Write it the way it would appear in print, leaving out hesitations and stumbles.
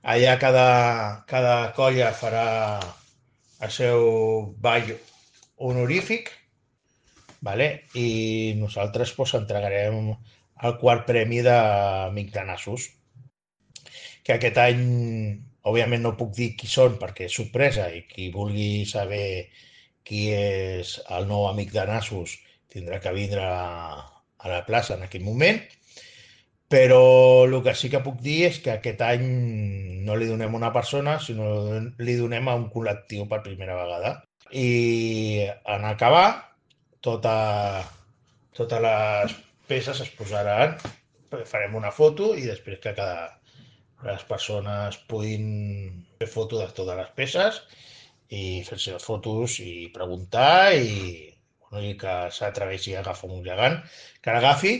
Allà cada colla farà el seu ball honorífic, vale? I nosaltres pues, entregarem el quart premi d'Amic de Nassos, que aquest any, òbviament no puc dir qui són perquè és sorpresa i qui vulgui saber qui és el nou amic de Nassos tindrà que vindre a la plaça en aquell moment, però el que sí que puc dir és que aquest any no li donem a una persona, sinó li donem a un col·lectiu per primera vegada. I en acabar, tota, totes les peces es posaran, farem una foto i després que les persones puguin fer foto de totes les peces i fer-se les fotos i preguntar i, bueno, i que s'atreveixi a agafar un gegant, que l'agafi